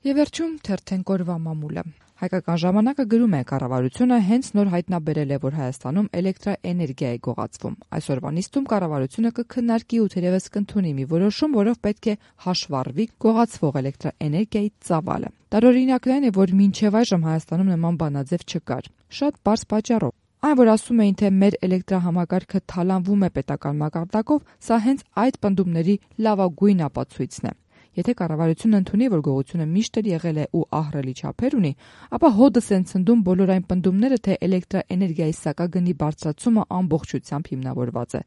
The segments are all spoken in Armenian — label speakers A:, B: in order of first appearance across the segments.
A: Եվ վերջում թերթենք օրվա մամուլը։ Հայկական ժամանակը գրում է, կառավարությունը հենց նոր հայտնաբերել է, որ Հայաստանում էլեկտրաէներգիա է գողացվում։ Այսօրվա նիստում կառավարությունը կքննարկի ու թերևս կընդունի մի որոշում, որով պետք է հաշվառվի գողացվող էլեկտրաէներգիայի ծավալը։ Տարօրինակն այն է, որ մինչև այժմ Հայաստանում նման բանաձև չկար։ Շատ պարզ պատճառով։ Այն, որ ասում էին, թե մեր էլեկտրահամակարգը թալանվում է պետական մակարդակով, սա հենց այդ պնդումների լավագույն ապացույցն է։ Եթե կառավարությունը ընդունի, որ գողությունը միշտ էլ եղել է ու ահռելի չափեր ունի, ապա հոդս են ցնդում բոլոր այն պնդումները, թե էլեկտրաէներգիայի սակագնի բարձրացումը ամբողջությամբ հիմնավորված է։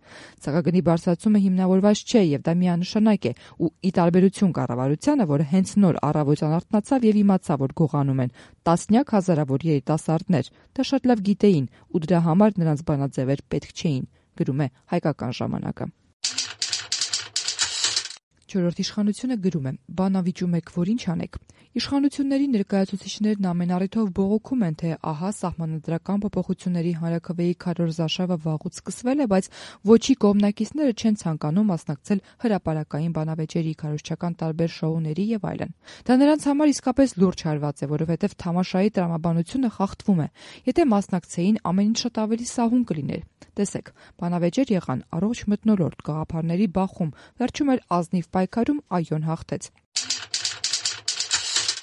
A: Սակագնի բարձրացումը հիմնավորված չէ եւ դա միանշանակ է, ու ի տարբերություն կառավարությանը, որը հենց նոր առավոտյան արթնացավ եւ իմացավ, որ գողանում են տասնյակ հազարավոր երիտասարդներ, դա շատ լավ գիտեին ու դրա համար նրանց բանաձևեր պետք չէին, գրում է Հայկական ժամանակը։ Չորրորդ իշխանությունը գրում է. «Բանավիճում եք, որ ինչ անեք»։ Իշխանությունների ներկայացուցիչներն ամեն առիթով բողոքում են, թե ահա սահմանադրական փոփոխությունների հանրաքվեի քարոզարշավը վաղուց սկսվել է, բայց ոչի կողմնակիցները չեն ցանկանում մասնակցել հրապարակային բանավեճերի, քարոզչական տարբեր շոուների եւ այլն։ Դա նրանց համար իսկապես լուրջ հարված է, որովհետեւ թամաշայի տրամաբանությունը խախտվում է։ Եթե մասնակցեին, ամեն ինչ շատ ավելի սահուն կլիներ։ Տեսեք, բանավեճեր եղան, առողջ մթնոլորտ, գաղափարների բախում, վերջում էլ ազնիվ պայքարում ԱՅՈ-ն հաղթեց։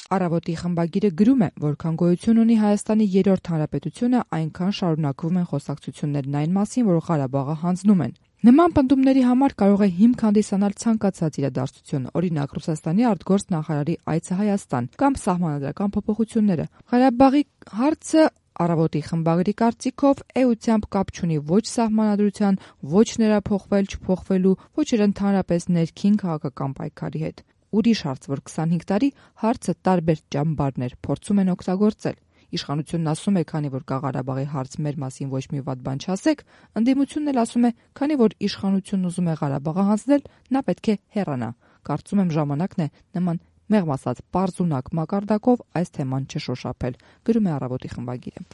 A: Առավոտի խմբագիրը գրում է, որքան գոյություն ունի Հայաստանի երրորդ հանրապետությունը, այնքան շարունակվում են խոսակցություններն այն մասին, որ Ղարաբաղը հանձնում են։ Նման պնդումների համար կարող է հիմք հանդիսանալ ցանկացած իրադարձություն, օրինակ Ռուսաստանի արտգործ նախարարի այցը Հայաստան կամ սահմանադրական փոփոխությունները։ Ղարաբաղի հարցը Առավոտի խմբագրի կարծիքով էությամբ կապ չունի ոչ սահմանադրության, ոչ նրա փոխվել-չփոխվելու, ոչ էլ ընդհանրապես ներքին քաղաքական պայքարի հետ։ Ուրիշ հարց, որ 25 տարի հարցը տարբեր ճամբարներ փորձում են օգտագործել։ Իշխանությունն ասում է, քանի որ կա Ղարաբաղի հարց, մեր մասին ոչ մի վատ բան չասեք, ընդդիմությունն էլ ասում է, քանի որ իշխանությունն ուզում է Ղարաբաղը հանձնել, նա պետք է հեռանա։ Կարծում եմ ժամանակն է նման մեղմ ասած պարզունակ մակարդակով այս թեման չշոշափել, գրում է Առավոտի խմբագիրը։